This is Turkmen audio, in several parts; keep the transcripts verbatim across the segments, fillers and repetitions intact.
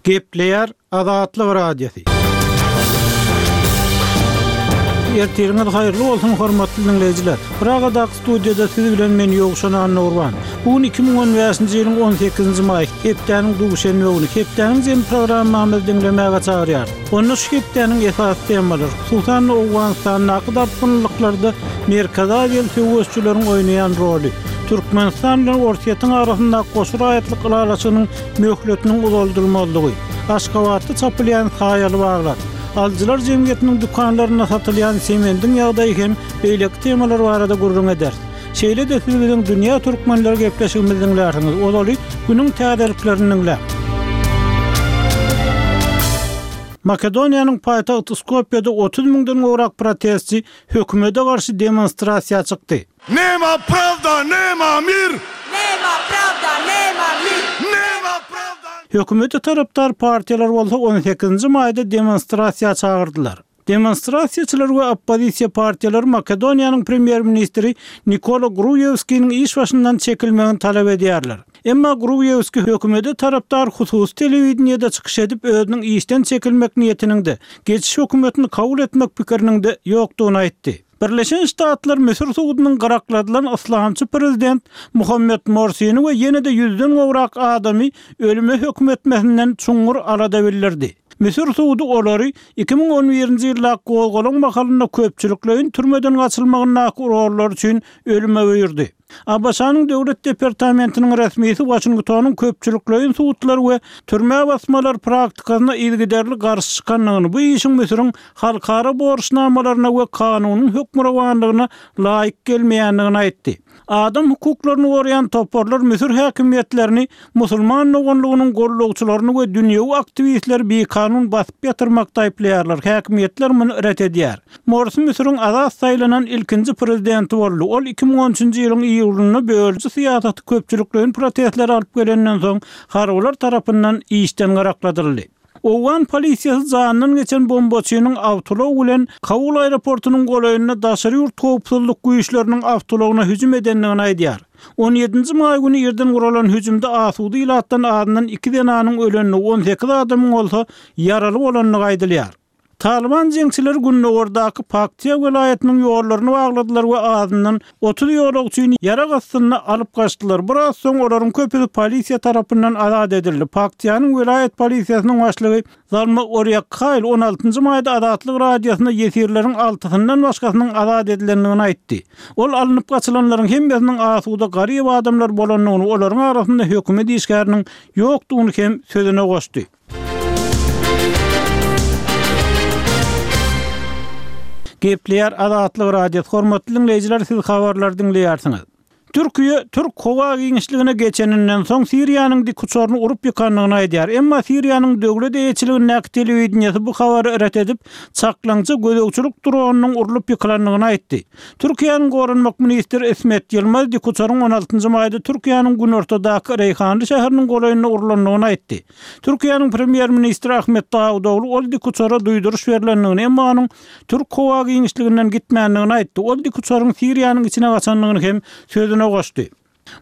Gepleýär Azatlyk Radiosy. Ertiriňiz haýyrly bolsun, hormatly diňleýjiler. Pragadaky studiýada siz bilen men Ýowşan Annagurban. Bu gün iki müň on bäşinji ýylyň on sekizinji maýy, hepdäniň duşenbe güni. Hepdäniň jemi programmamyzy diňlemäge çagyrýarys. Onda şu hepdäniň esasy temalary, hususan-da Owganystandaky dartgynlyklarda Merkezi Aziýaly söweşijileriň oýnaýan roly, Türkmenistan bilen Orsýetiň arasyndaky goşa raýatlyk ylalaşygynyň möhletiniň uzaldylmazlygy, Aşgabatda çapylýan saýaly baglar, alyjylar jemgyýetiniň dükanlarynda satylýan semendiň ýagdaýy hem beýleki temalar barada gürrüň ederis. Şeýle-de siz biziň Dünýä Türkmenleri gepleşigimizi diňlärsiňiz. Ozaly günüň täzeliklerini diňläň. Makedoniýanyň paýtagty Skopýada otuz müňden gowrak protestçi hökümete garşy demonstrasiýa çykdy. Nema pravda, nema mir! Nema pravda, nema mir! Nema pravda! Hökümete tarapdar partiýalar bolsa on sekizinji maýda demonstrasiýa çagyrdylar. Demonstrasiýaçylar we oppozisiýa partiýalary Makedoniýanyň premýer-ministri Nikola Gruýewskiniň iş başyndan çekilmegini talap edýärler. Emma Gruýewski hökümete tarapdar hususy telewideniýede çykyş edip, özüniň işden çekilmek niýetiniň-de, geçiş hökümetini kabul etmek pikiriniň-de ýokdugyny aýtdy. Birleşen Ştatlar Müsür sudunyň gyrakladylan yslamçy prezident Muhammed Morsini we ýene-de ýüzden gowrak adamy ölüme höküm etmesinden çuňňur alada bildirdi. Müsür sudy olary iki müň on birinji ýylda gozgalaň mahalynda köpçülikleýin türmeden gaçylmagyndaky rollary üçin ölüme buýurdy. A B Ş-nyň Döwlet departamentiniň resmisi Waşingtonyň köpçülikleýin sudlar we türme basmalar praktikasyna yzygiderli garşy çykandygyny, bu işiň Müsüriň halkara borçnamalaryna we kanunyň hökmürowanlygyna laýyk gelmeýändigini aýtdy. Adam hukuklaryny goraýan toparlar Müsür häkimiýetlerini musulman doganlygynyň gollagçylaryny we dünýewi aktiwistleri bikanun basyp ýatyrmakda aýyplaýarlar. Häkimiýetler muny ret edýär. Morsi Müsüriň azat saýlanan ilkinji prezidenti boldy. Ol iki müň on üçünji ýylyň iýulynda bölüji syýasaty köpçülikleýin protestleri alyp gelenden soň harbylar tarapyndan işden gyrakladyldy. Owgan polisiýasy janyndan geçen bombaçynyň awtoulag bilen Kabul aeroportunyň golaýynda daşary ýurt howpsuzlyk güýçleriniň awtoulagyna hüjüm edendigini aýdýar. On ýedinji maý güni irden guralan hüjümde asuda ilatdan azyndan iki zenanyň ölendigi, on sekiz adamyň bolsa ýaraly bolandygy aýdylýar. Taliban jeňçileri gündogardaky Paktiýa welaýatynyň ýollaryny bagladylar we azyndan otuz ýolagçyny ýarag astynda alyp gaçdylar. Biraz soň olaryň köpüsi polisiýa tarapyndan azat edildi. Paktiýanyň welaýat polisiýasynyň başlygy Zalma Orýakhaýl on altynjy maýda Azatlyk Radiosyna ýesirleriň altysyndan başgasynyň azat edilendigini aýtdy. Ol alnyp gaçylanlaryň hemmesiniň asuda garyp adamlar bolandygyny, olaryň arasynda hökümet işgäriniň ýokdugyny hem sözüne goşdy. Gepleýär Azatlyk Radiosy. Hormatly diňleýjiler, siz habarlary diňleýärsiňiz. Türkiýe Türk howa giňişligine geçeninden soň Siriýanyň dik uçaryny urup ýykandygyny aýdýar. Emma Siriýanyň döwlet eýeçiligindäki telewideniýesi bu habary ret edip, çaklaňja gözegçilik dronynyň urlup ýykylandygyny aýtdy. Türkiýäniň goranmak ministri İsmet Ýylmaz dik uçaryň on altynjy maýda Türkiýäniň günortadaky Reýhanly şäheriniň golaýynda urlandygyny aýtdy. Türkiýäniň premýer-ministri Ahmet Dawutoglu ol dik uçara duýduryş berlendigini, emma onuň Türk howa giňişliginden gitmändigini aýtdy. Ol dik uçaryň Siriýanyň içine gaçandygyny hem sözüne goşdy.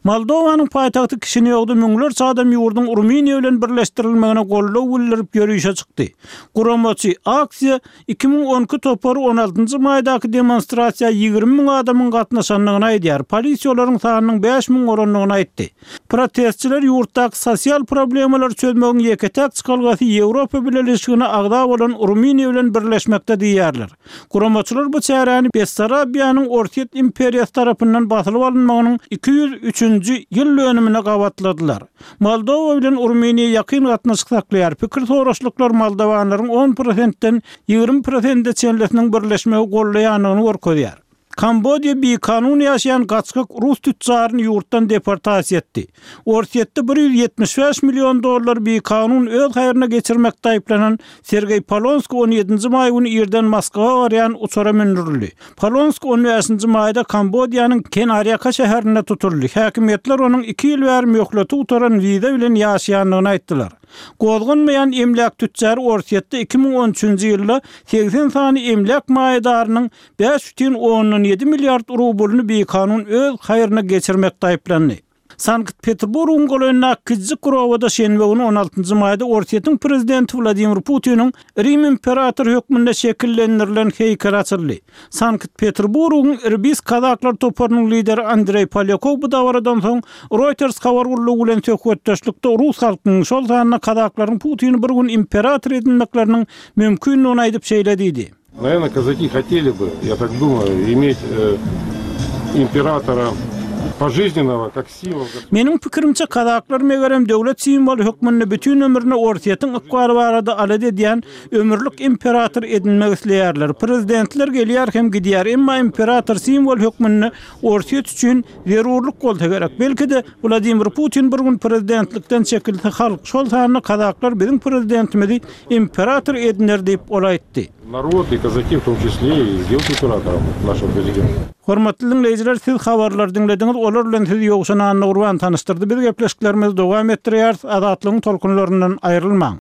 Moldowanyň paýtagty Kişinýowda müňlerçe adam ýurduň Rumyniýa bilen birleşdirilmegine goldaw bildirip ýörişe çykdy. Guramaçy aksiýa iki müň on iki topary on altynjy maýdaky demonstrasiýa ýigrimi müň adamyň gatnaşandygyny aýdýar. Polisiýa olaryň sanynyň bäş müň bolandygyny aýtdy. Protestçiler ýurtdaky sosial problemalary çözmegiň ýeke-täk çykalgasy Ýewropa Bileleşigine agza bolan Rumyniýa bilen birleşmekde diýýärler. Guramaçylar bu çäräni Bessarabiýanyň Orsýet imperiýasy tarapyndan basylyp alynmagynyň iki ýüz üçünji ýyl dönümine gabatladylar. Moldowa bilen Rumyniýa ýakyn gatnaşyk saklaýar. Pikir soraşlyklar moldowanlaryň on prosentden ýigrimi prosente çenlisiniň birleşmegi gollaýandygyny görkezýär. Kambodýa bikanun ýaşaýan gaçgak rus tütjaryny ýurtdan deportasiýa etdi. Orsýetde bir ýüz ýetmiş bäş million dollar bikanun öz haýryna geçirmekde aýyplanan Sergeý Polonski on ýedinji maý güni irden Moskwa barýan uçara mündürildi. Polonski on bäşinji maýda Kambodýanyň Kenarýaka şäherinde tutuldy. Häkimiýetler onuň iki ýyl bäri möhleti gutaran wiza bilen ýaşaýandygyny aýtdylar. Gozganmaýan emläk tütjary Orsýetde iki müň on üçünji ýylda segsen sany emläk maýadarynyň bäş bütin ondan ýedi milliard rublyny bikanun öz haýryna geçirmekde aýyplandy. Sankt-Peterburgyň golaýyndaky kiçijik bir obada şenbe güni on altynjy maýda Orsýetiň prezidenti Wladimir Putiniň Rim imperatory hökmünde şekillendirilen heýkeli açyldy. Sankt-Peterburgyň Irbis kazaklar toparynyň lideri Andreý Polýakow bu dabaradan soň Reuters habar gullugy bilen söhbetdeşlikde rus halkynyň, şol sanda kazaklaryň Putini bir gün imperator edinmekleriniň mümkindigini aýdyp şeýle diýdi. Nawerno, kazaki hoteli by, ýa tak dumaýu, imet imperatora požiznennogo kak simwol. Meniň pikirimçe, kazaklar megerem döwlet simwoly hökmünde bütin ömrüne Orsýetiň ykbaly barada alada edýän ömürlik imperator edinmek isleýärler. Prezidentler gelýär hem gidýär, emma imperator simwol hökmünde Orsýet üçin zerurlyk bolsa gerek. Belki-de, Wladimir Putin bir gün prezidentlikden çekilse halk, şol sanda kazaklar biziň prezidentimizi imperator ediner diýip, ol aýtdy. Narod i kazaki w tom çisle i sdelать imperatorом našego prezidenta. Hormatly diňleýjiler, siz habarlary diňlediňiz, olar bilen sizi Ýowşan Annagurban tanyşdyrdy. Biz gepleşiklerimizi dowam etdirýäris, Azatlygyň tolkunlaryndan aýrylmaň.